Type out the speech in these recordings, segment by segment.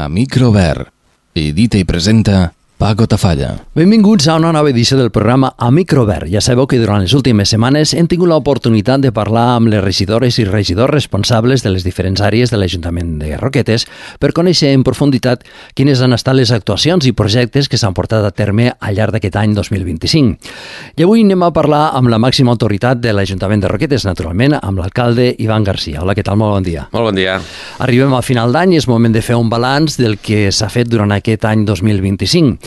a Microvert. Edita i presenta Paco Tafalla. Benvinguts a una nova edició del programa A Microvert. Ja sabeu que durant les últimes setmanes hem tingut l'oportunitat de parlar amb les regidores i regidors responsables de les diferents àrees de l'Ajuntament de Roquetes per conèixer en profunditat quines han estat les actuacions i projectes que s'han portat a terme al llarg d'aquest any 2025. I avui anem a parlar amb la màxima autoritat de l'Ajuntament de Roquetes, naturalment, amb l'alcalde Ivan Garcia. Hola, què tal? Molt bon dia. Molt bon dia. Arribem al final d'any i és moment de fer un balanç del que s'ha fet durant aquest any 2025.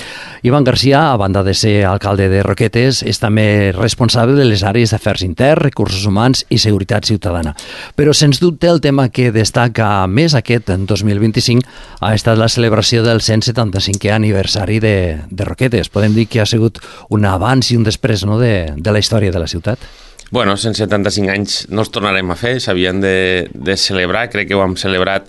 Ivan Garcia, a banda de ser alcalde de Roquetes, és també responsable de les àrees d'afers interns, recursos humans i seguretat ciutadana. Però, sens dubte, el tema que destaca més aquest 2025 ha estat la celebració del 175è aniversari de Roquetes. Podem dir que ha sigut un abans i un després, no?, de la història de la ciutat. Bueno, 175 anys no els tornarem a fer, s'havien de celebrar, crec que ho hem celebrat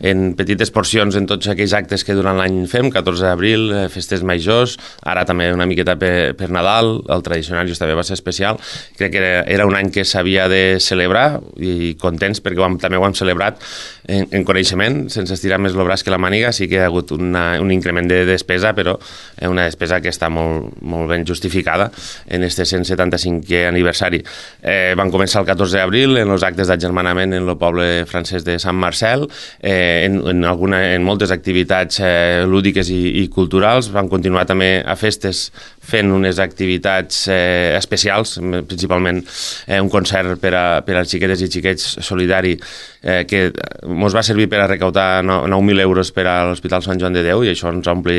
en petites porcions en tots aquells actes que durant l'any fem, 14 d'abril, festes majors, ara també una miqueta per Nadal, el Tradicionarius també va ser especial. Crec que era un any que s'havia de celebrar i contents perquè també ho hem celebrat en coneixement, sense estirar més el braç que la màniga. Sí que hi ha hagut un increment de despesa, però una despesa que està molt ben justificada en este 175è aniversari. Van començar el 14 d'abril en els actes d'aggermanament en el poble francès de Sant Marcel, en moltes activitats lúdiques i culturals. Van continuar també a festes fent unes activitats especials, principalment un concert per a xiquetes i xiquets solidari que ens va servir per a recaudar 9.000 euros per a l'Hospital Sant Joan de Déu, i això ens ompli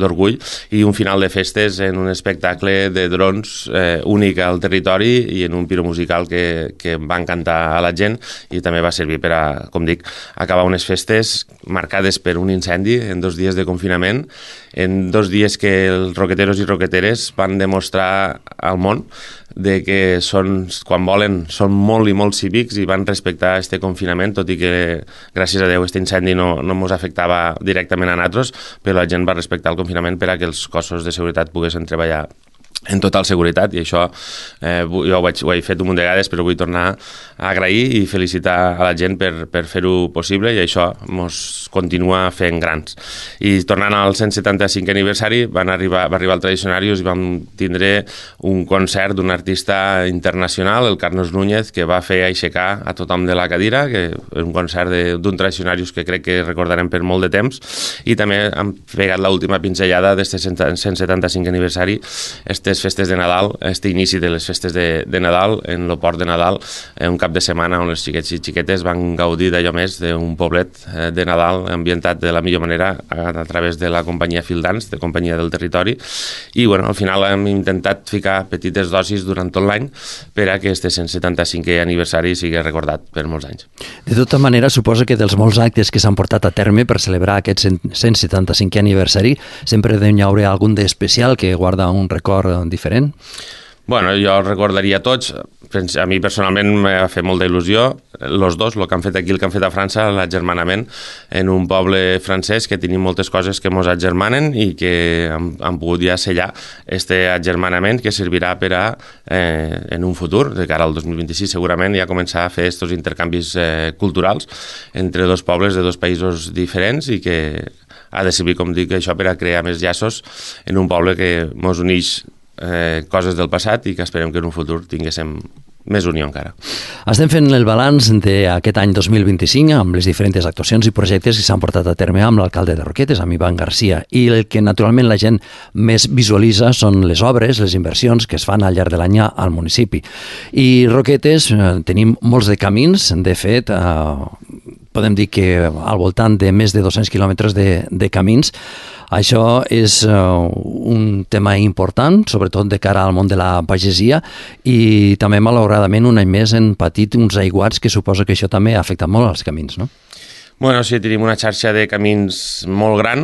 d'orgull, i un final de festes en un espectacle de drons únic al territori i en un piro musical que va encantar a la gent, i també va servir per a, com dic, acabar unes festes marcades per un incendi en 2 dies de confinament, en 2 dies que els roqueteros i roqueteres van demostrar al món de que quan volen són molt i molt cívics i van respectar este confinament, tot i que gràcies a Déu este incendi no ens afectava directament a nosaltres, però la gent va respectar el confinament per a que els cossos de seguretat poguessin treballar en total seguretat, i això jo ho he fet un munt de vegades, però vull tornar a agrair i felicitar a la gent per fer-ho possible, i això ens continua fent grans. I tornant al 175è aniversari, va arribar el Tradicionarius i vam tindre un concert d'un artista internacional, el Carlos Núñez, que va fer aixecar a tothom de la cadira, que és un concert d'un Tradicionarius que crec que recordarem per molt de temps, i també hem pegat l'última pinzellada d'aquest 175è aniversari, festes de Nadal, inici de les festes de Nadal en el port de Nadal, un cap de setmana on els xiquets i xiquetes van gaudir d'allò més d'un poblet de Nadal ambientat de la millor manera a través de la companyia Fildans, de companyia del territori, i al final hem intentat ficar petites dosis durant tot l'any per a que este 175è aniversari sigui recordat per molts anys. De tota manera, suposo que dels molts actes que s'han portat a terme per celebrar aquest 175è aniversari sempre n'hi haurà algun d'especial que guarda un record diferent? Bueno, jo els recordaria tots. A mi personalment m'ha fet molta il·lusió els dos, el que han fet aquí, el que han fet a França, l'aggermanament en un poble francès que tenim moltes coses que ens aggermanen i que han pogut ja sellar este aggermanament que servirà per a, en un futur, de cara al 2026 segurament, ja començar a fer aquests intercanvis culturals entre dos pobles de dos països diferents, i que ha de servir, com dic, això per a crear més llaços en un poble que ens uneix coses del passat i que esperem que en un futur tinguéssim més unió encara. Estem fent el balanç d'aquest any 2025 amb les diferents actuacions i projectes que s'han portat a terme amb l'alcalde de Roquetes, amb Ivan Garcia, i el que naturalment la gent més visualitza són les obres, les inversions que es fan al llarg de l'any al municipi. I Roquetes tenim molts de camins, de fet podem dir que al voltant de més de 200 quilòmetres de camins. Això és un tema important, sobretot de cara al món de la pagesia, i també, malauradament, un any més han patit uns aiguats que suposo que això també ha afectat molt als camins, no? Bueno, sí, tenim una xarxa de camins molt gran,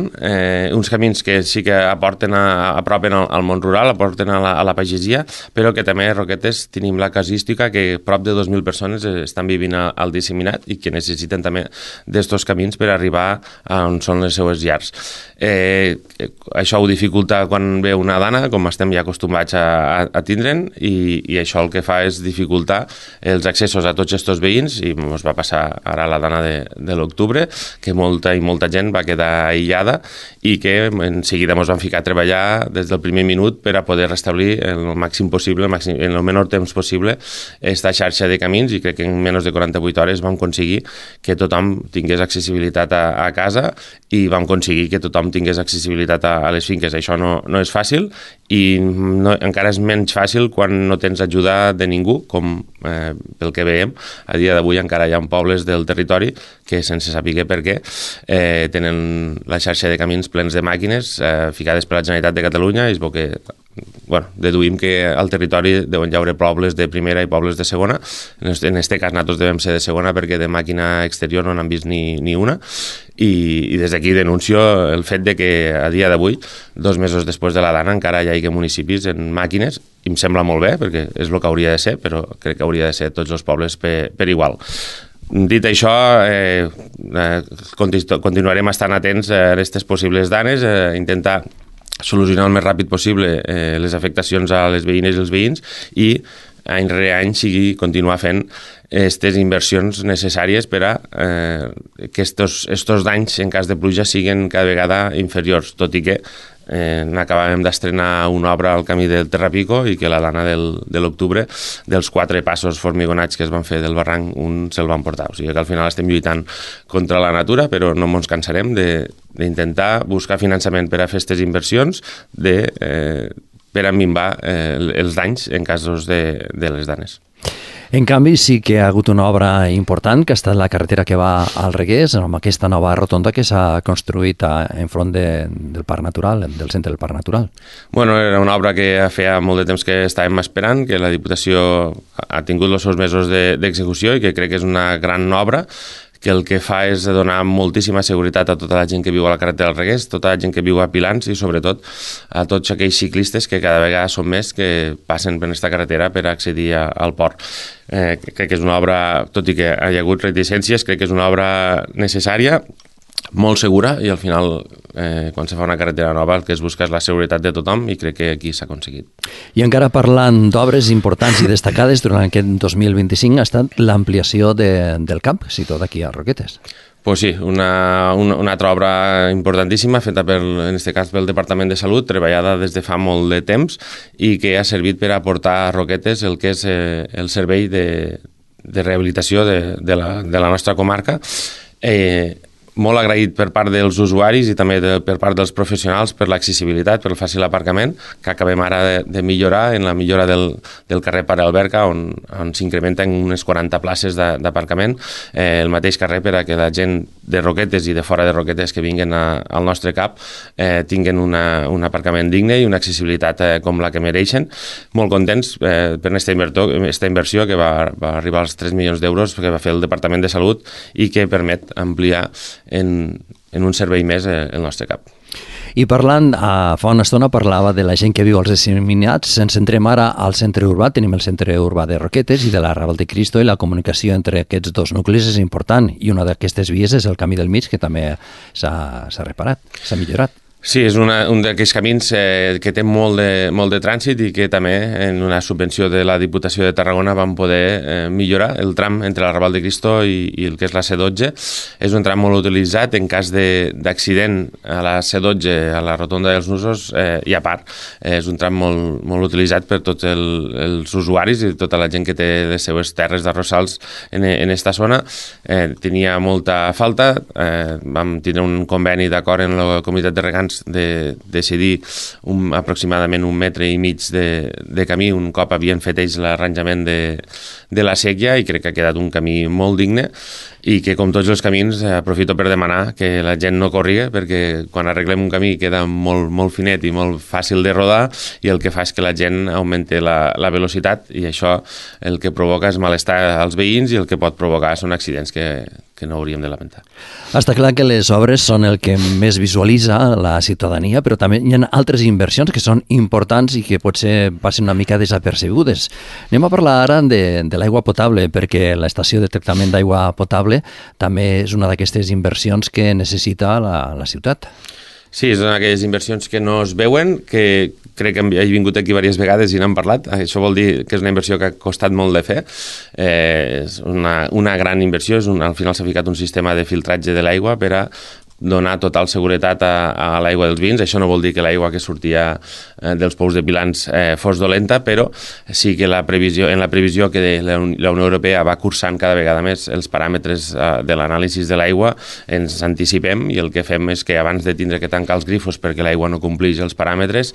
uns camins que sí que aporten al món rural, aporten a la pagesia, però que també a Roquetes tenim la casuística que prop de 2.000 persones estan vivint al disseminat i que necessiten també d'estos camins per arribar a on són les seues llars. Això ho dificulta quan ve una dana, com estem ja acostumats a tindre'n, i això el que fa és dificultar els accessos a tots aquests veïns, i ens va passar ara la dana de l'octubre, d'octubre, que molta gent va quedar aïllada i que en seguida ens vam ficar a treballar des del primer minut per a poder restablir el màxim possible, en el menor temps possible, esta xarxa de camins, i crec que en menys de 48 hores vam aconseguir que tothom tingués accessibilitat a casa i vam aconseguir que tothom tingués accessibilitat a les finques. Això no és fàcil i encara és menys fàcil quan no tens ajuda de ningú, com pel que veiem. A dia d'avui encara hi ha pobles del territori que, sense saber per què, tenen la xarxa de camins plens de màquines ficades per la Generalitat de Catalunya, i es veu que deduïm que al territori deuen hi haver pobles de primera i pobles de segona. En aquest cas nosaltres devem ser de segona perquè de màquina exterior no n'han vist ni una, i des d'aquí denuncio el fet de que a dia d'avui, 2 mesos després de la dana, encara hi hagi municipis en màquines, i em sembla molt bé perquè és el que hauria de ser, però crec que hauria de ser tots els pobles per igual. Dit això, continuarem estant atents a aquestes possibles danes, intentar solucionar el més ràpid possible les afectacions a les veïnes i els veïns, i any rere any continuar fent aquestes inversions necessàries per a que estos danys en cas de pluja siguin cada vegada inferiors, tot i que n'acabàvem d'estrenar una obra al camí del Terrapico i que la dana de l'octubre, dels 4 passos formigonats que es van fer del barranc, un se'l van portar. O sigui que al final estem lluitant contra la natura, però no ens cansarem d'intentar buscar finançament per a fer aquestes inversions per a minvar els danys en casos de les danes. En canvi, sí que ha hagut una obra important, que ha estat la carretera que va al Regués, amb aquesta nova rotonda que s'ha construït enfront del Parc Natural, del centre del Parc Natural. Bueno, era una obra que feia molt de temps que estàvem esperant, que la Diputació ha tingut els seus mesos d'execució i que crec que és una gran obra, que el que fa és donar moltíssima seguretat a tota la gent que viu a la carretera del Regués, tota la gent que viu a Pilans i sobretot a tots aquells ciclistes que cada vegada són més que passen per aquesta carretera per accedir al port. Crec que és una obra, tot i que hi ha hagut reticències, crec que és una obra necessària, molt segura, i al final quan se fa una carretera nova el que es busca és la seguretat de tothom, i crec que aquí s'ha aconseguit. I encara parlant d'obres importants i destacades durant aquest 2025 ha estat l'ampliació del camp situat aquí a Roquetes. Pues sí, una altra obra importantíssima feta en aquest cas pel Departament de Salut, treballada des de fa molt de temps i que ha servit per aportar a Roquetes el que és el servei de rehabilitació de la nostra comarca. Molt agraït per part dels usuaris i també per part dels professionals per l'accessibilitat, per el fàcil aparcament, que acabem ara de millorar en la millora del carrer Pare Alberca, on s'incrementen unes 40 places d'aparcament, el mateix carrer per a que la gent de Roquetes i de fora de Roquetes que vinguen al nostre cap tinguen un aparcament digne i una accessibilitat com la que mereixen. Molt contents per aquesta inversió que va arribar als 3 milions d'euros que va fer el Departament de Salut i que permet ampliar en un servei més el nostre cap. I parlant, fa una estona parlava de la gent que viu als disseminats. Ens centrem ara al centre urbà. Tenim el centre urbà de Roquetes i de la Raval de Cristo, i la comunicació entre aquests dos nuclis és important, i una d'aquestes vies és el camí del mig, que també s'ha reparat, s'ha millorat. Sí, és un d'aquells camins que té molt de trànsit i que també en una subvenció de la Diputació de Tarragona vam poder millorar el tram entre la Raval de Cristo i el que és la C12. És un tram molt utilitzat en cas d'accident a la C12, a la rotonda dels Nusos, i a part és un tram molt utilitzat per tots els usuaris i tota la gent que té les seues terres d'arrossals en aquesta zona. Tenia molta falta, vam tindre un conveni d'acord en la comunitat de regants de decidir aproximadament 1,5 metres de camí un cop havien fet ells l'arranjament de la sèquia, i crec que ha quedat un camí molt digne i que, com tots els camins, aprofito per demanar que la gent no corriga, perquè quan arreglem un camí queda molt finet i molt fàcil de rodar, i el que fa és que la gent augmenti la velocitat, i això el que provoca és malestar als veïns i el que pot provocar són accidents que no hauríem de lamentar. Està clar que les obres són el que més visualitza la ciutadania, però també hi ha altres inversions que són importants i que potser passen una mica desapercebudes. Anem a parlar ara de l'aigua potable, perquè l'estació de tractament d'aigua potable també és una d'aquestes inversions que necessita la ciutat. Sí, són aquelles inversions que no es veuen, que crec que he vingut aquí diverses vegades i n'hem parlat. Això vol dir que és una inversió que ha costat molt de fer. És una gran inversió. Al final s'ha ficat un sistema de filtratge de l'aigua per a donar total seguretat a l'aigua dels vins. Això no vol dir que l'aigua que sortia dels pous de Pilans fos dolenta, però sí que en la previsió que la Unió Europea va cursant cada vegada més els paràmetres de l'anàlisi de l'aigua, ens anticipem i el que fem és que abans de tindre que tancar els grifos perquè l'aigua no compleix els paràmetres,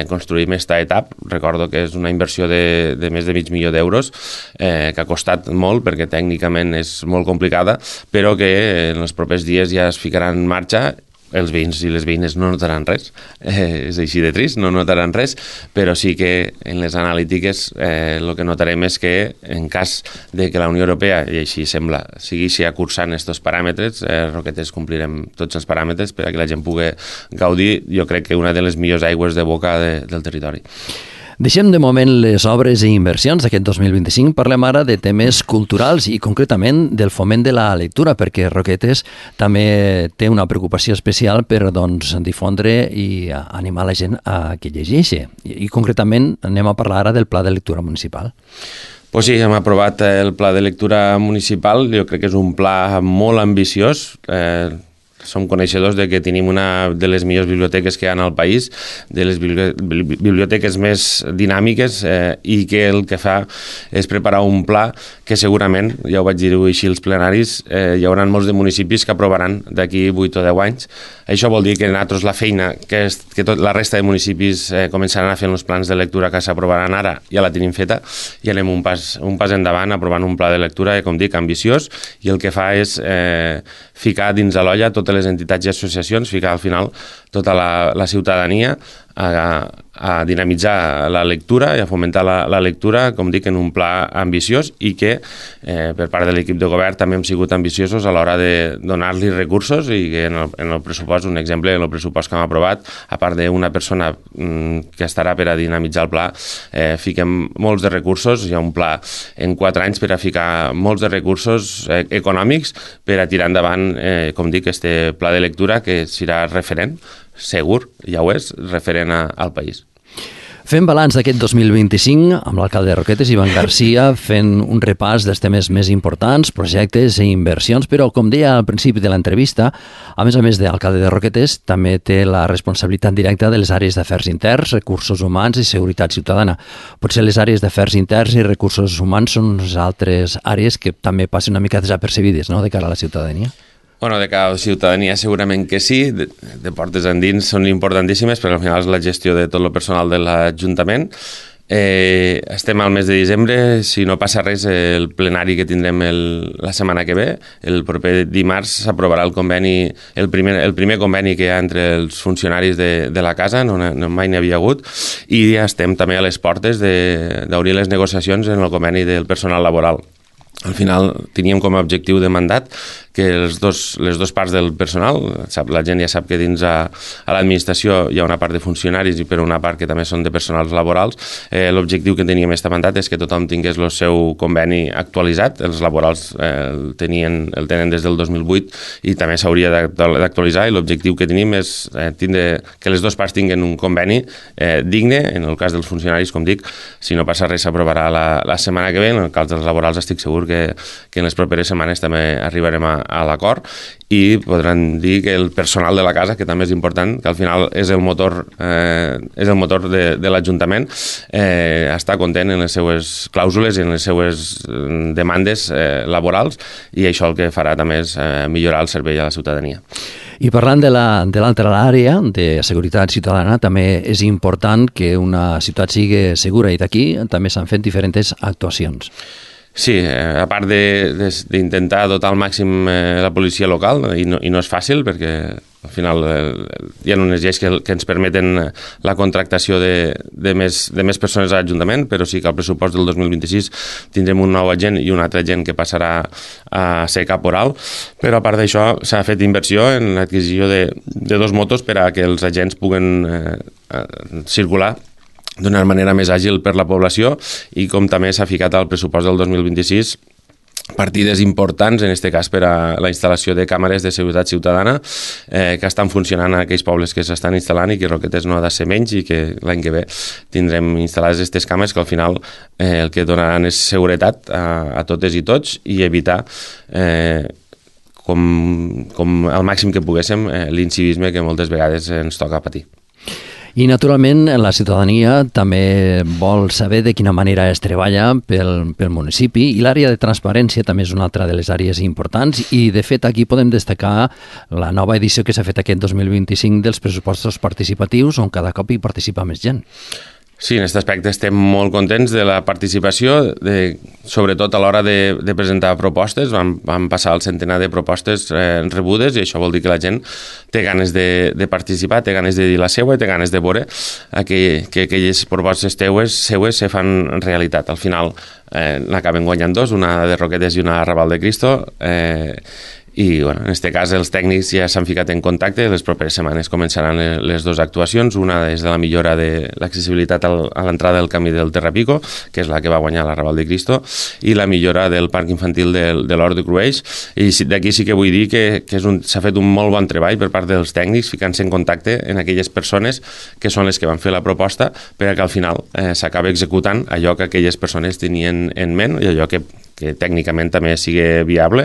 construïm esta etapa. Recordo que és una inversió de més de mig milió d'euros, que ha costat molt perquè tècnicament és molt complicada, però que en els propers dies ja es ficarà en marxa. Els veïns i les veïnes no notaran res, és així de trist, no notaran res, però sí que en les analítiques el que notarem és que en cas de que la Unió Europea, i així sembla, segueixi acursant aquests paràmetres, Roquetes complirem tots els paràmetres per a que la gent pugui gaudir, jo crec que una de les millors aigües de boca del territori. Deixem de moment les obres i inversions d'aquest 2025. Parlem ara de temes culturals i concretament del foment de la lectura, perquè Roquetes també té una preocupació especial per difondre i animar la gent a que llegeixi. I concretament anem a parlar ara del Pla de Lectura Municipal. Pues sí, hem aprovat el Pla de Lectura Municipal. Jo crec que és un pla molt ambiciós. Som coneixedors de que tenim una de les millors biblioteques que hi ha al país, de les biblioteques més dinàmiques, i que el que fa és preparar un pla que segurament, ja ho vaig dir així als plenaris, hi haurà molts de municipis que aprovaran d'aquí 8 o 10 anys. Això vol dir que nosaltres la feina que la resta de municipis començaran a fer els plans de lectura que s'aprovaran ara, ja la tenim feta, i anem un pas endavant aprovant un pla de lectura, com dic, ambiciós, i el que fa és ficar dins de l'olla totes les entitats i associacions, ficar al final tota la ciutadania a dinamitzar la lectura i a fomentar la lectura, com dic, en un pla ambiciós, i que per part de l'equip de govern també hem sigut ambiciosos a l'hora de donar-li recursos, i que en el pressupost, un exemple, en el pressupost que hem aprovat, a part d'una persona que estarà per a dinamitzar el pla, fiquem molts de recursos. Hi ha un pla en 4 anys per a ficar molts de recursos econòmics per a tirar endavant, com dic, este pla de lectura que serà referent, segur, ja ho és, referent al país. Fem balanç d'aquest 2025 amb l'alcalde de Roquetes, Ivan Garcia, fent un repàs dels temes més importants, projectes i inversions, però, com deia al principi de l'entrevista, a més d'alcalde de Roquetes, també té la responsabilitat directa de les àrees d'afers interns, recursos humans i seguretat ciutadana. Potser les àrees d'afers interns i recursos humans són unes altres àrees que també passen una mica desapercebides, no?, de cara a la ciutadania. Bueno, de cara a la ciutadania segurament que sí, de portes endins són importantíssimes, però al final és la gestió de tot el personal de l'Ajuntament. Estem al mes de desembre, si no passa res, el plenari que tindrem la setmana que ve, el proper dimarts s'aprovarà el conveni, el primer conveni que hi ha entre els funcionaris de la casa, no mai n'hi havia hagut, i ja estem també a les portes d'obrir les negociacions en el conveni del personal laboral. Al final teníem com a objectiu de mandat que les dos parts del personal, la gent ja sap que dins a l'administració hi ha una part de funcionaris i per una part que també són de personals laborals. L'objectiu que teníem aquest mandat és que tothom tingués el seu conveni actualitzat. Els laborals el tenen des del 2008 i també s'hauria d'actualitzar, i l'objectiu que tenim és que les dues parts tinguin un conveni digne. En el cas dels funcionaris, com dic, si no passa res s'aprovarà la setmana que ve. En el cas dels laborals estic segur que en les properes setmanes també arribarem a l'acord, i podran dir que el personal de la casa, que també és important, que al final és el motor de l'Ajuntament, està content en les seues clàusules i en les seues demandes laborals, i això el que farà també és millorar el servei a la ciutadania. I parlant de l'altra àrea, de seguretat ciutadana, també és important que una ciutat sigui segura, i d'aquí també s'han fet diferents actuacions. Sí, a part d'intentar dotar al màxim la policia local, i no és fàcil, perquè al final hi ha unes lleis que ens permeten la contractació de més persones a l'Ajuntament, però sí que al pressupost del 2026 tindrem un nou agent i un altre agent que passarà a ser caporal, però a part d'això s'ha fet inversió en l'adquisició de 2 motos per a que els agents puguen circular d'una manera més àgil per la població, i com també s'ha ficat al pressupost del 2026 partides importants, en aquest cas per a la instal·lació de càmeres de seguretat ciutadana que estan funcionant en aquells pobles que s'estan instal·lant i que Roquetes no ha de ser menys i que l'any que ve tindrem instal·lades aquestes càmeres que al final el que donaran és seguretat a totes i tots i evitar com al màxim que poguéssim l'incivisme que moltes vegades ens toca patir. I, naturalment, la ciutadania també vol saber de quina manera es treballa pel municipi i l'àrea de transparència també és una altra de les àrees importants i, de fet, aquí podem destacar la nova edició que s'ha fet aquest 2025 dels pressupostos participatius on cada cop hi participa més gent. Sí, en aquest aspecte estem molt contents de la participació, sobretot a l'hora de presentar propostes. Vam passar el centenar de propostes rebudes i això vol dir que la gent té ganes de participar, té ganes de dir la seva i té ganes de veure que aquelles propostes seues se fan realitat. Al final n'acaben guanyant dos, una de Roquetes i una a Raval de Cristo, i en aquest cas els tècnics ja s'han ficat en contacte, les properes setmanes començaran les dues actuacions, una és de la millora de l'accessibilitat a l'entrada del camí del Terrapico, que és la que va guanyar la Raval de Cristo, i la millora del parc infantil de l'Hort de Crueix, i d'aquí sí que vull dir que s'ha fet un molt bon treball per part dels tècnics, ficant-se en contacte en aquelles persones que són les que van fer la proposta perquè al final s'acaba executant allò que aquelles persones tenien en ment i allò que tècnicament també sigui viable,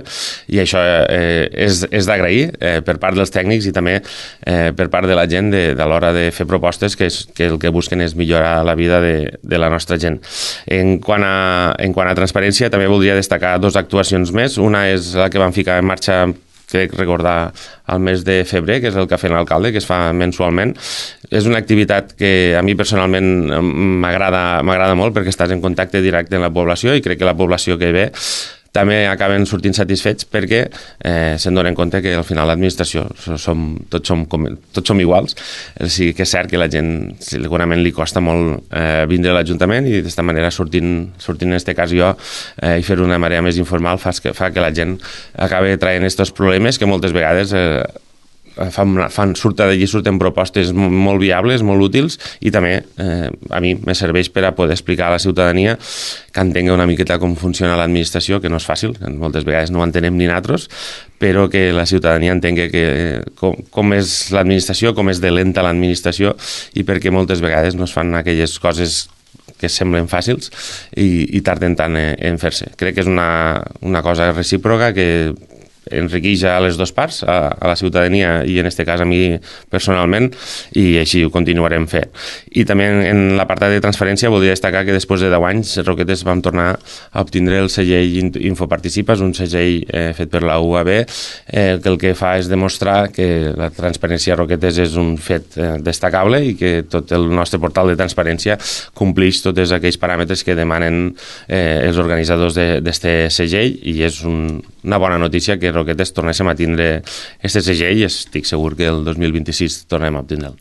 i això és d'agrair per part dels tècnics i també per part de la gent a l'hora de fer propostes que el que busquen és millorar la vida de la nostra gent. En quant a transparència, també voldria destacar dues actuacions més. Una és la que vam ficar en marxa, crec recordar, al mes de febrer, que és el Cafè en l'Alcalde, que es fa mensualment. És una activitat que a mi personalment m'agrada molt perquè estàs en contacte directe amb la població i crec que la població que ve també acaben sortint satisfets perquè se'n donen compte que al final l'administració tots som iguals. O sigui que és cert que la gent segurament li costa molt vindre a l'Ajuntament i d'esta manera sortint en aquest cas jo i fer una manera més informal fa que la gent acabi traient aquests problemes que moltes vegades surten propostes molt viables, molt útils i també a mi me serveix per a poder explicar a la ciutadania que entengui una miqueta com funciona l'administració, que no és fàcil, que moltes vegades no ho entenem ni nosaltres, però que la ciutadania entengui com és l'administració, com és de lenta l'administració i perquè moltes vegades no es fan aquelles coses que semblen fàcils i tarden tant en fer-se. Crec que és una cosa recíproca que enriqueix a les dues parts, a la ciutadania i en aquest cas a mi personalment, i així ho continuarem fent. I també en l'apartat de transferència voldria destacar que després de 10 anys Roquetes vam tornar a obtindre el segell Infoparticipes, un segell fet per la UAB, que el que fa és demostrar que la transparència a Roquetes és un fet destacable i que tot el nostre portal de transparència complix tots aquells paràmetres que demanen els organitzadors d'aquest segell, i és una bona notícia que Roquetes tornéssim a tindre aquest segell i estic segur que el 2026 tornem a obtindre'l.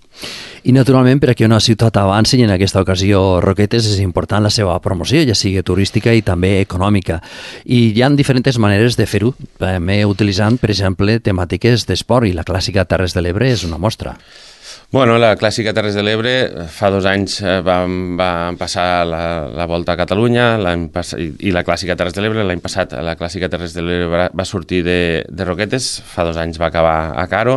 I, naturalment, per a que una ciutat avanci, i en aquesta ocasió Roquetes, és important la seva promoció, ja sigui turística i també econòmica. I hi ha diferents maneres de fer-ho, també utilitzant, per exemple, temàtiques d'esport, i la clàssica Terres de l'Ebre és una mostra. Bueno, la clàssica Terres de l'Ebre fa 2 anys va passar la Volta a Catalunya i la clàssica Terres de l'Ebre l'any passat. La clàssica Terres de l'Ebre va sortir de Roquetes, fa 2 anys va acabar a Caro.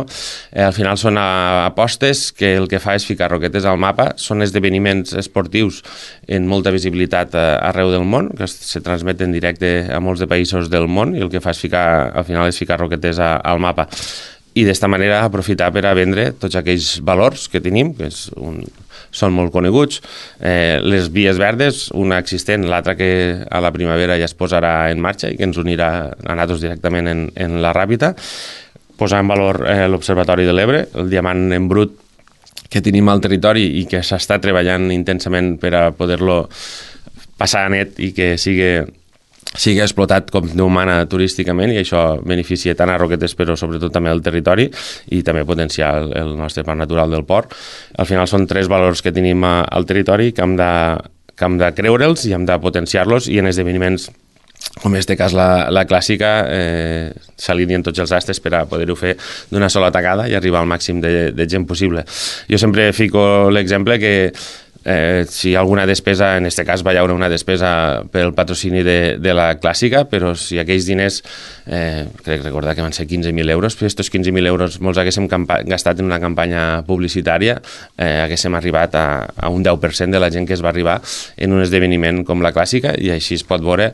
Al final són apostes que el que fa és ficar Roquetes al mapa. Són esdeveniments esportius en molta visibilitat arreu del món, que se transmeten en directe a molts de països del món, i el que fa és al final és ficar Roquetes al mapa. I d'esta manera aprofitar per a vendre tots aquells valors que tenim, que són molt coneguts, les vies verdes, una existent, l'altra que a la primavera ja es posarà en marxa i que ens unirà a nosaltres directament en la Ràpita, posar en valor l'Observatori de l'Ebre, el diamant en brut que tenim al territori i que s'està treballant intensament per a poder-lo passar a net i que sigui explotat com Déu mana turísticament, i això beneficia tant a Roquetes però sobretot també al territori i també potenciar el nostre parc natural del port. Al final són 3 valors que tenim al territori que hem de creure'ls i hem de potenciar-los, i en esdeveniments com en aquest cas la clàssica s'alineen tots els astres per a poder-ho fer d'una sola tacada i arribar al màxim de gent possible. Jo sempre fico l'exemple que si hi ha alguna despesa, en aquest cas va haver una despesa pel patrocini de la Clàssica, però si aquells diners, crec recordar que van ser 15.000 euros, però aquests 15.000 euros molts haguéssim gastat en una campanya publicitària, haguéssim arribat a un 10% de la gent que es va arribar en un esdeveniment com la Clàssica, i així es pot veure,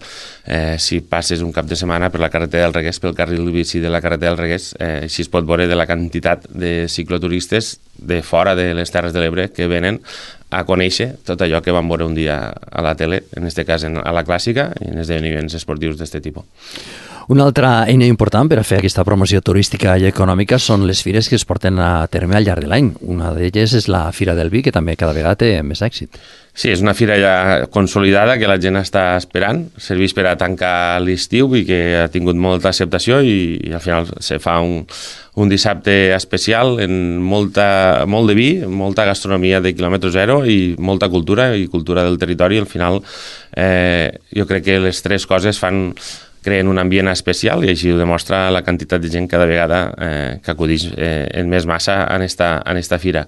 si passes un cap de setmana per la carretera del Reguers, pel carril bici de la carretera del Reguers, així es pot veure de la quantitat de cicloturistes de fora de les Terres de l'Ebre que venen a conèixer tot allò que vam veure un dia a la tele, en aquest cas a la Clàssica, i en esdeveniments esportius d'aquest tipus. Una altra eina important per a fer aquesta promoció turística i econòmica són les fires que es porten a terme al llarg de l'any. Una d'elles és la Fira del Vi, que també cada vegada té més èxit. Sí, és una fira ja consolidada que la gent està esperant, serveix per a tancar l'estiu i que ha tingut molta acceptació, i al final se fa un dissabte especial amb molt de vi, molta gastronomia de quilòmetre zero i molta cultura, i cultura del territori. Al final jo crec que les tres coses creen un ambient especial, i així ho demostra la quantitat de gent cada vegada que acudeix en més massa en esta fira.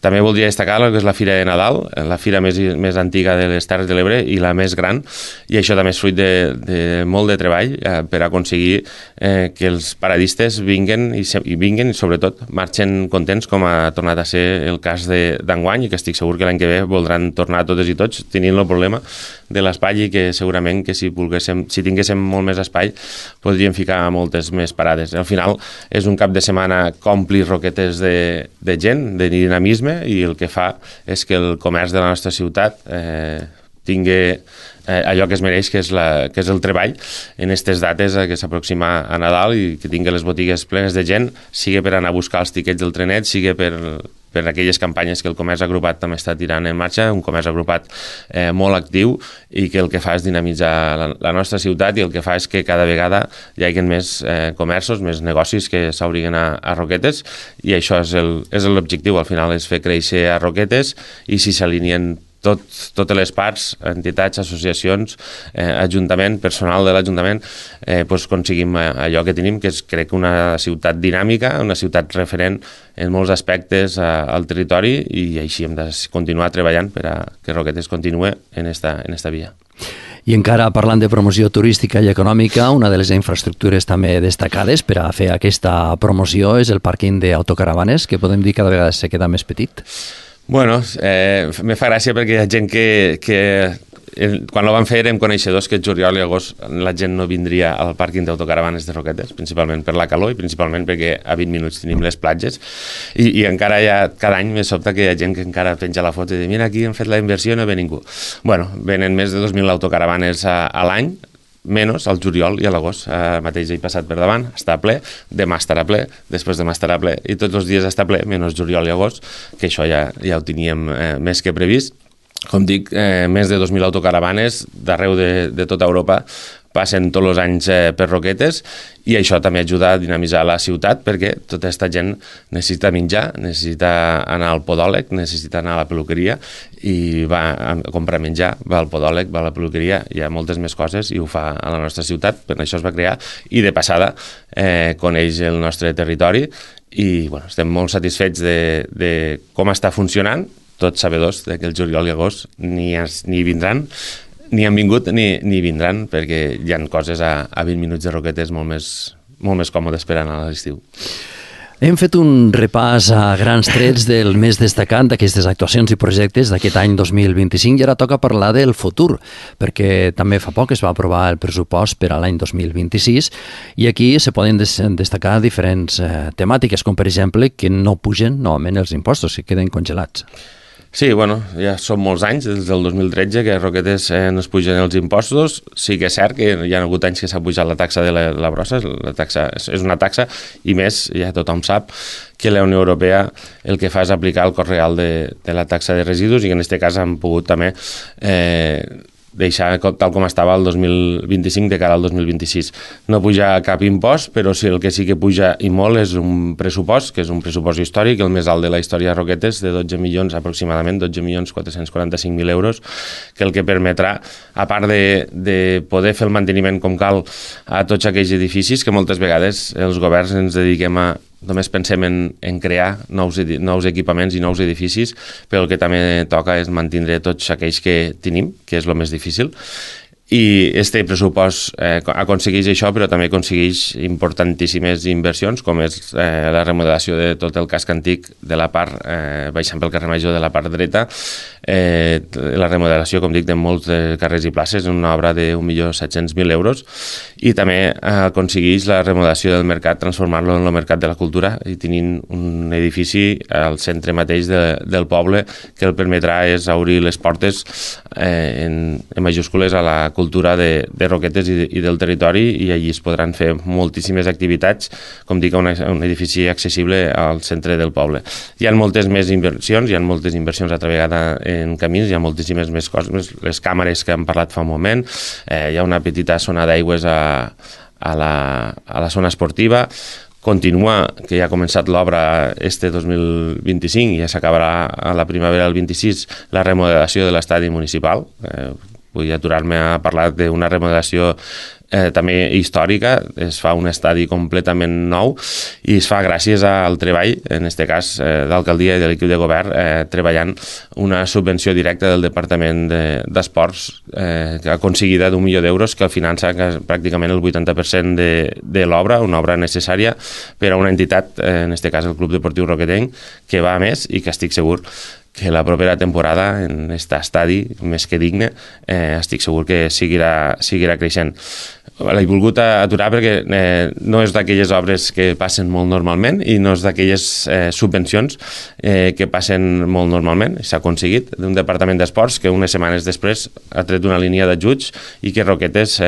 També voldria destacar el que és la Fira de Nadal, la fira més antiga de les Terres de l'Ebre i la més gran, i això també és fruit de molt de treball per aconseguir que els paradistes vinguin i sobretot marxen contents, com ha tornat a ser el cas d'enguany, i que estic segur que l'any que ve voldran tornar totes i tots, tenint el problema de l'espai, i que segurament que si tinguéssim molt més espai podríem ficar moltes més parades. Al final és un cap de setmana que ompli Roquetes de gent, de dinamisme, i el que fa és que el comerç de la nostra ciutat tingui allò que es mereix, que és el treball en aquestes dates que s'aproxima a Nadal, i que tingui les botigues plenes de gent, sigui per anar a buscar els tiquets del trenet, sigui per aquelles campanyes que el comerç agrupat també està tirant en marxa, un comerç agrupat molt actiu, i que el que fa és dinamitzar la nostra ciutat, i el que fa és que cada vegada hi hagi més comerços, més negocis que s'obriguen a Roquetes, i això és l'objectiu. Al final és fer créixer a Roquetes, i si s'alineen totes les parts, entitats, associacions, ajuntament, personal de l'Ajuntament, doncs aconseguim allò que tenim, que és, crec, una ciutat dinàmica, una ciutat referent en molts aspectes al territori, i així hem de continuar treballant per a que Roquetes continue en esta via. I encara parlant de promoció turística i econòmica, una de les infraestructures també destacades per a fer aquesta promoció és el pàrquing d'autocaravanes, que podem dir cada vegada se queda més petit. Bueno, me fa gràcia perquè hi ha gent que quan ho van fer érem coneixedors que el juliol i agost la gent no vindria al pàrquing d'autocaravanes de Roquetes, principalment per la calor i principalment perquè a 20 minuts tenim les platges, i encara cada any me sobta que hi ha gent que encara penja la foto i diu, mira, aquí hem fet la inversió i no ve ningú. Bueno, venen més de 2.000 autocaravanes a l'any, menys al juliol i a l'agost. Mateix he passat per davant, està ple, demà estarà ple, després demà estarà ple, i tots els dies està ple, menys juliol i agost, que això ja ho teníem més que previst. Com dic, més de 2.000 autocaravanes d'arreu de tota Europa passen tots els anys per Roquetes, i això també ajuda a dinamitzar la ciutat, perquè tota aquesta gent necessita menjar, necessita anar al podòleg, necessita anar a la peluqueria, i va a comprar menjar, va al podòleg, va a la peluqueria, hi ha moltes més coses, i ho fa a la nostra ciutat, per això es va crear, i de passada coneix el nostre territori, i bueno, estem molt satisfets de com està funcionant, tots sabedors que el juliol i agost ni vindran, ni han vingut ni vindran, perquè hi ha coses a 20 minuts de Roquetes molt més còmodes per anar a l'estiu. Hem fet un repàs a grans trets del més destacat d'aquestes actuacions i projectes d'aquest any 2025, i ara toca parlar del futur, perquè també fa poc es va aprovar el pressupost per a l'any 2026, i aquí se poden destacar diferents temàtiques, com per exemple que no pugen novament els impostos, que queden congelats. Sí, bueno, ja són molts anys, des del 2013, que a Roquetes no es pugen els impostos. Sí que és cert que hi ha hagut anys que s'ha pujat la taxa de la brossa, la taxa és una taxa, i més, ja tothom sap que la Unió Europea el que fa és aplicar el cost real de la taxa de residus, i que en aquest cas han pogut també deixar tal com estava el 2025 de cara al 2026. No puja cap impost, però sí, el que sí que puja i molt és un pressupost, que és un pressupost històric, el més alt de la història de Roquetes, de 12 milions aproximadament, 12.445.000 euros, que el que permetrà, a part de poder fer el manteniment com cal a tots aquells edificis, que moltes vegades els governs ens dediquem a només pensem en crear nous equipaments i nous edificis, però el que també toca és mantenir tots aquells que tenim, que és el més difícil. I este pressupost aconsegueix això, però també aconsegueix importantíssimes inversions, com és la remodelació de tot el casc antic de la part, baixant pel carrer Major de la part dreta, la remodelació, com dic, de molts carrers i places, una obra de 1.700.000 euros, i també aconsegueix la remodelació del mercat, transformar-lo en el mercat de la cultura, i tenint un edifici al centre mateix del poble que el permetrà és obrir les portes en majúscules a la cultura de Roquetes i del territori, i allí es podran fer moltíssimes activitats, com dic, un edifici accessible al centre del poble. Hi ha moltes més inversions, hi ha moltes inversions altra vegada en camins, hi ha moltíssimes més coses, les càmeres que hem parlat fa un moment, hi ha una petita zona d'aigües a la zona esportiva. Continua, que ja ha començat l'obra este 2025 i ja s'acabarà a la primavera del 26, la remodelació de l'estadi municipal. Vull aturar-me a parlar d'una remodelació també històrica. Es fa un estadi completament nou i es fa gràcies al treball, en aquest cas d'alcaldia i de l'equip de govern, treballant una subvenció directa del Departament d'Esports aconseguida d'1 milió d'euros, que el finança pràcticament el 80% de l'obra, una obra necessària per a una entitat, en aquest cas el Club Deportiu Roquetenc, que va a més i que estic segur que la propera temporada en aquest estadi, més que digne, estic segur que seguirà creixent. L'he volgut aturar perquè no és d'aquelles obres que passen molt normalment i no és d'aquelles subvencions que passen molt normalment. S'ha aconseguit d'un departament d'esports que unes setmanes després ha tret una línia d'ajuts i que Roquetes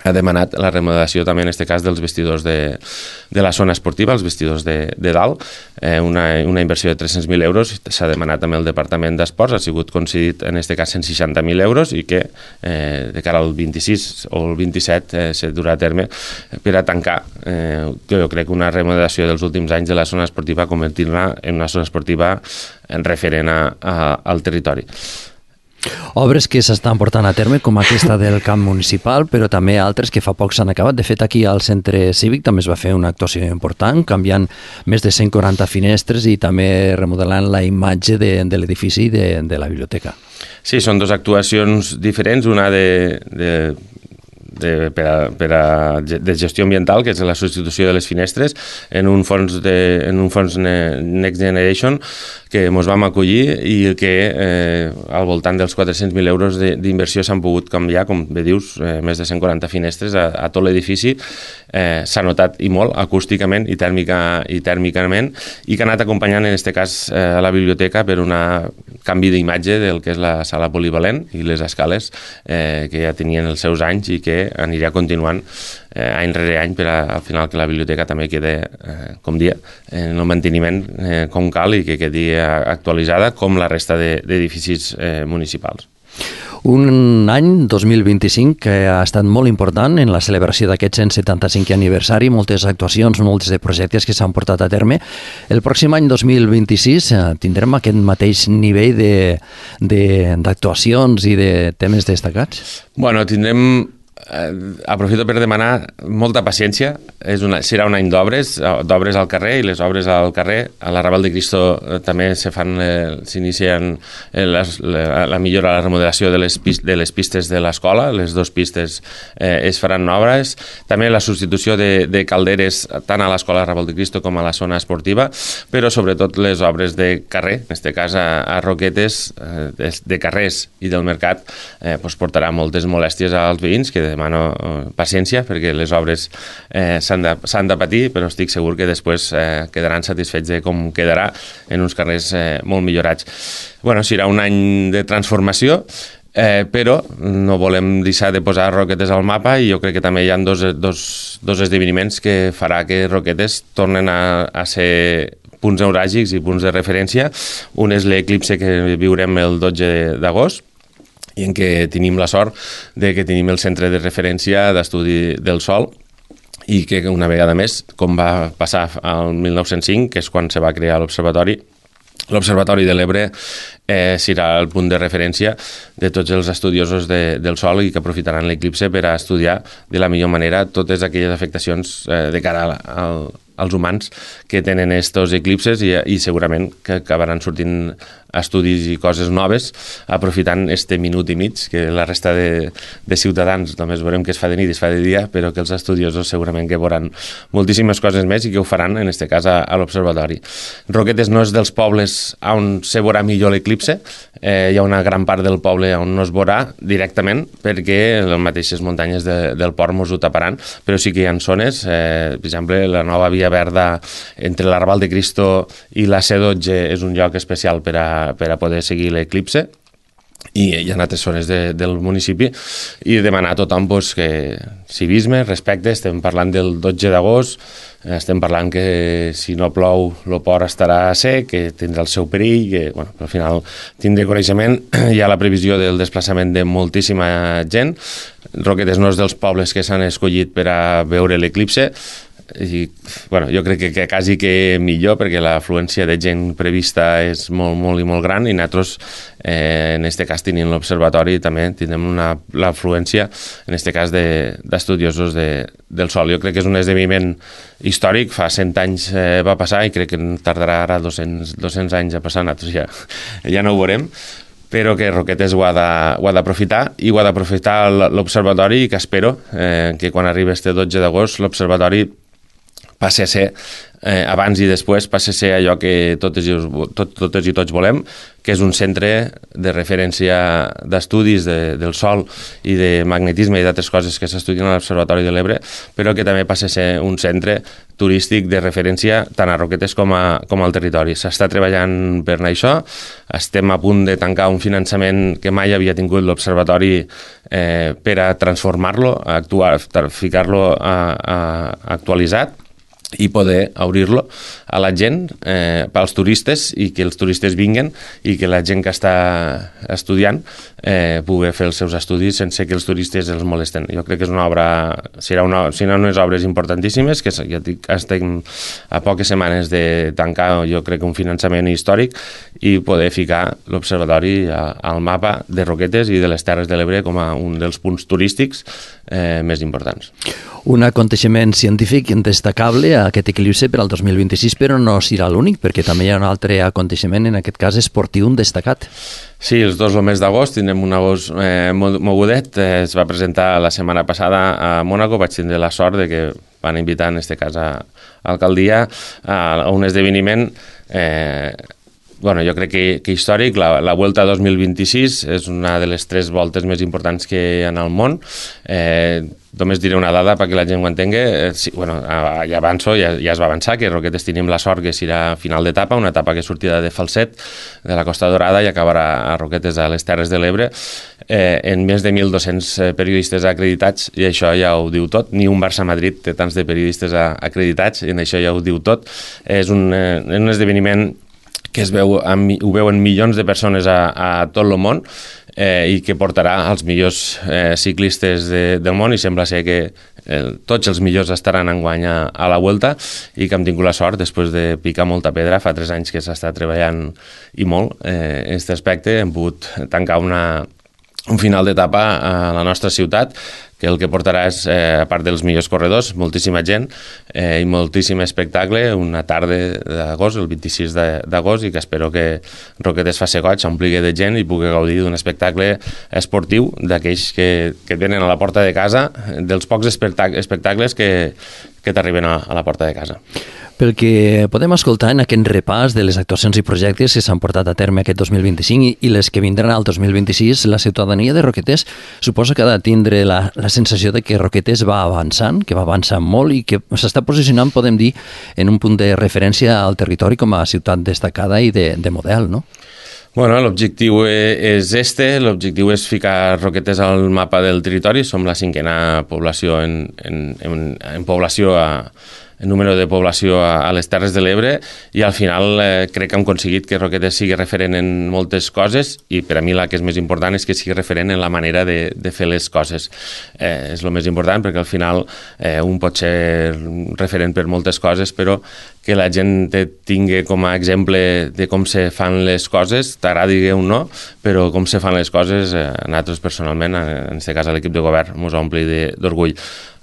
ha demanat la remodelació també en aquest cas dels vestidors de la zona esportiva, els vestidors de dalt, una inversió de 300.000 euros, s'ha demanat també el Departament d'Esports, ha sigut concedit en aquest cas 160.000 euros i que de cara al 26 o el 27 se durà a terme per a tancar, jo crec que una remodelació dels últims anys de la zona esportiva, convertir-la en una zona esportiva referent al territori. Obres que s'estan portant a terme, com aquesta del camp municipal, però també altres que fa poc s'han acabat. De fet, aquí al centre cívic també es va fer una actuació important, canviant més de 140 finestres i també remodelant la imatge de l'edifici de la biblioteca. Sí, són dues actuacions diferents, una de gestió ambiental, que és la substitució de les finestres en un fons Next Generation que ens vam acollir i que al voltant dels 400.000 euros d'inversió s'han pogut canviar, com bé dius, més de 140 finestres a tot l'edifici. S'ha notat i molt acústicament i tèrmicament, i que ha anat acompanyant en aquest cas a la biblioteca per un canvi d'imatge del que és la sala polivalent i les escales que ja tenien els seus anys i que anirà continuant any rere any per al final que la biblioteca també quedi, com dia, en el manteniment com cal i que quedi actualitzada com la resta d'edificis municipals. Un any 2025 que ha estat molt important en la celebració d'aquest 175è aniversari, moltes actuacions, molts de projectes que s'han portat a terme. El pròxim any 2026 tindrem aquest mateix nivell d'actuacions i de temes destacats? Bueno, tindrem... aprofito per demanar molta paciència. Serà un any d'obres al carrer, i les obres al carrer a l'Arrabal de Cristo també s'inicien la millora, la remodelació de les pistes de l'escola. Les dues pistes es faran noves, també la substitució de calderes tant a l'escola Arrabal de Cristo com a la zona esportiva, però sobretot les obres de carrer, en aquest cas a Roquetes, de carrers i del mercat, portarà moltes molèsties als veïns, que demano paciència perquè les obres s'han de patir, però estic segur que després quedaran satisfets de com quedarà en uns carrers molt millorats. Serà un any de transformació, però no volem deixar de posar Roquetes al mapa, i jo crec que també hi ha dos esdeveniments que farà que Roquetes tornen a ser punts neuràlgics i punts de referència. Un és l'eclipse que viurem el 12 d'agost, i en què tenim la sort de que tenim el centre de referència d'estudi del Sol, i que una vegada més, com va passar al 1905, que és quan se va crear l'Observatori de l'Ebre, serà el punt de referència de tots els estudiosos del Sol, i que aprofitaran l'eclipse per a estudiar de la millor manera totes aquelles afectacions de cara als humans que tenen estos eclipses i segurament que acabaran sortint estudis i coses noves aprofitant este minut i mig que la resta de ciutadans només veurem que es fa de nit i es fa de dia, però que els estudiosos segurament que veuran moltíssimes coses més i que ho faran, en este cas, a l'observatori. Roquetes no és dels pobles on se veurà millor l'eclipse, hi ha una gran part del poble on no es veurà directament perquè les mateixes muntanyes del port mos ho taparan, però sí que hi ha zones, per exemple, la nova Via Verda entre l'Arrabal de Cristo i la C12 és un lloc especial per a poder seguir l'eclipse, i hi ha altres zones del municipi, i demanar a tothom que civisme, respecte. Estem parlant del 12 d'agost, estem parlant que si no plou el port estarà sec, que tindrà el seu perill, que al final tindré coneixement. Hi ha la previsió del desplaçament de moltíssima gent. Roquetes no és dels pobles que s'han escollit per a veure l'eclipse, i jo crec que quasi que millor, perquè l'afluència de gent prevista és molt, molt i molt gran, i nosaltres en aquest cas tenint l'observatori també tindrem l'afluència en aquest cas d'estudiosos del Sol. Jo crec que és un esdeveniment històric, fa 100 anys va passar i crec que tardarà ara 200 anys a passar, nosaltres ja no ho veurem, però que Roquetes ho ha d'aprofitar, i ho ha d'aprofitar l'observatori, i que espero que quan arribi este 12 d'agost l'observatori passi a ser, abans i després, passi a ser allò que totes i tots volem, que és un centre de referència d'estudis del Sol i de magnetisme i d'altres coses que s'estudien a l'Observatori de l'Ebre, però que també passi a ser un centre turístic de referència tant a Roquetes com al territori. S'està treballant per això, estem a punt de tancar un finançament que mai havia tingut l'Observatori per a transformar-lo, ficar-lo actualitzat i poder obrir-lo a la gent, pels turistes, i que els turistes vinguen i que la gent que està estudiant pugui fer els seus estudis sense que els turistes els molesten. Jo crec que és una obra, serà unes obres importantíssimes, que ja dic, estem a poques setmanes de tancar, jo crec que un finançament històric, i poder ficar l'observatori al mapa de Roquetes i de les Terres de l'Ebre com a un dels punts turístics més importants. Un aconteixement científic destacable, aquest eclipse per al 2026, però no serà l'únic, perquè també hi ha un altre aconteixement, en aquest cas esportiu destacat. Sí, els dos el mes d'agost, tindrem un agost mogudet. Es va presentar la setmana passada a Mònaco, vaig tindre la sort de que van invitar, en aquest cas, a l'alcaldia a un esdeveniment jo crec que històric. La Vuelta 2026 és una de les 3 voltes més importants que hi ha al món. Només diré una dada perquè la gent ho entengui. Ja avanço, ja es va avançar, que Roquetes tenim la sort que serà final d'etapa, una etapa que sortirà de Falset, de la Costa Dorada, i acabarà a Roquetes, a les Terres de l'Ebre, en més de 1.200 periodistes acreditats, i això ja ho diu tot. Ni un Barça-Madrid té tants de periodistes acreditats, i en això ja ho diu tot. És un esdeveniment que ho veuen milions de persones a tot el món, i que portarà als millors ciclistes del món, i sembla ser que tots els millors estaran enguany a la Vuelta, i que hem tingut la sort, després de picar molta pedra, fa 3 anys que s'està treballant i molt en aquest aspecte, hem pogut tancar un final d'etapa a la nostra ciutat, que el que portarà és, a part dels millors corredors, moltíssima gent i moltíssim espectacle, una tarda d'agost, el 26 d'agost, i que espero que Roquetes faci goig, s'ompligui de gent i pugui gaudir d'un espectacle esportiu d'aquells que et venen a la porta de casa, dels pocs espectacles que t'arriben a la porta de casa. Pel que podem escoltar en aquest repàs de les actuacions i projectes que s'han portat a terme aquest 2025 i les que vindran al 2026, la ciutadania de Roquetes suposa que ha de tindre la sensació de que Roquetes va avançant, que va avançant molt i que s'està posicionant, podem dir, en un punt de referència al territori com a ciutat destacada i de model, no? Bueno, l'objectiu és l'objectiu és ficar Roquetes al mapa del territori. Som la 5a població en població en número de població a les Terres de l'Ebre, i al final crec que hem aconseguit que Roquetes sigui referent en moltes coses, i per a mi la que és més important és que sigui referent en la manera de fer les coses. És el més important, perquè al final un pot ser referent per moltes coses, però que la gent tingui com a exemple de com se fan les coses, t'agradi o no, però com se fan les coses, a nosaltres personalment, en aquest cas a l'equip de govern, ens ompli d'orgull.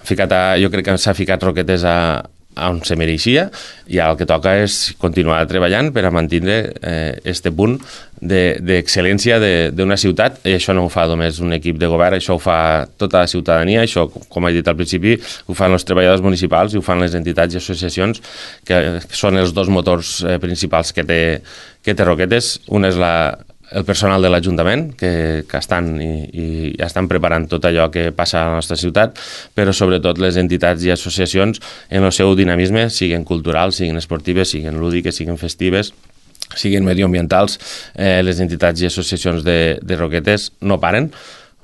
Jo crec que s'ha ficat Roquetes on se mereixia, i el que toca és continuar treballant per a mantenir este punt d'excel·lència d'una ciutat, i això no ho fa només un equip de govern, això ho fa tota la ciutadania, això, com he dit al principi, ho fan els treballadors municipals i ho fan les entitats i associacions, que són els dos motors principals que té Roquetes. Un és el personal de l'Ajuntament, que estan i estan preparant tot allò que passa a la nostra ciutat, però sobretot les entitats i associacions en el seu dinamisme, siguin culturals, siguin esportives, siguin lúdiques, siguin festives, siguin medioambientals. Les entitats i associacions de Roquetes no paren,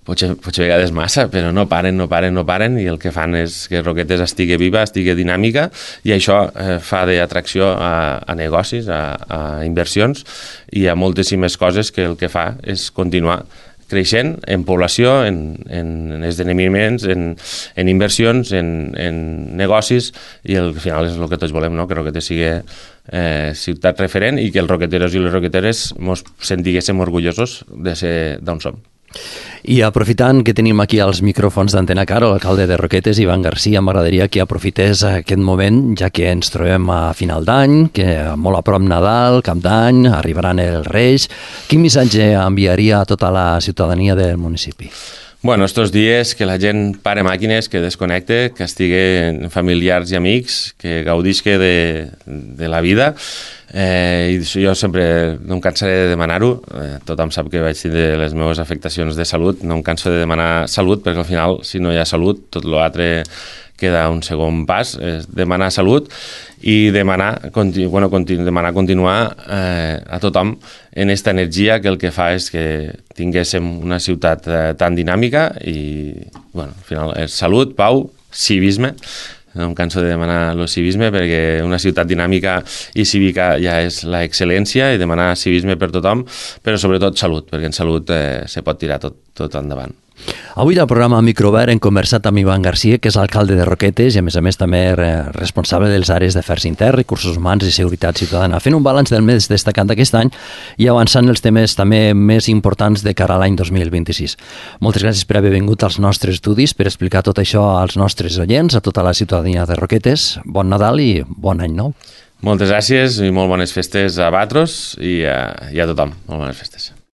potser a vegades massa, però no paren, i el que fan és que Roquetes estigui viva, estigui dinàmica, i això fa d'atracció a negocis, a inversions i a moltíssimes coses, que el que fa és continuar creixent en població, en esdeveniments, en inversions, en negocis, i al final és el que tots volem, no? Que Roquetes sigui ciutat referent i que els roqueteros i les roqueteres ens sentiguéssim orgullosos de ser d'on som. I aprofitant que tenim aquí els micròfons d'Antena Car, l'alcalde de Roquetes, Ivan Garcia, m'agradaria que aprofités aquest moment, ja que ens trobem a final d'any, que molt a prop Nadal, Cap d'Any, arribaran els Reis. Quin missatge enviaria a tota la ciutadania del municipi? Bueno, estos dies que la gent pare màquines, que desconnecte, que estigui familiars i amics, que gaudisca de la vida. I jo sempre no em cansaré de demanar-ho. Tothom sap que vaig tindre les meves afectacions de salut. No em canso de demanar salut, perquè al final, si no hi ha salut, tot l'altre queda un segon pas. Demanar salut i demanar continuar a tothom en aquesta energia, que el que fa és que tinguéssim una ciutat tan dinàmica, i al final és salut, pau, civisme. No em canso de demanar el civisme, perquè una ciutat dinàmica i cívica ja és l'excel·lència, i demanar civisme per tothom, però sobretot salut, perquè en salut se pot tirar tot endavant. Avui al programa Microobert hem conversat amb Ivan Garcia, que és alcalde de Roquetes i a més també responsable de les àrees d'afers interns, recursos humans i seguretat ciutadana, fent un balanç del més destacat d'aquest any i avançant els temes també més importants de cara a l'any 2026. Moltes gràcies per haver vingut als nostres estudis, per explicar tot això als nostres oients, a tota la ciutadania de Roquetes. Bon Nadal i bon any nou. Moltes gràcies i molt bones festes a vosaltres i a tothom. Molt bones festes.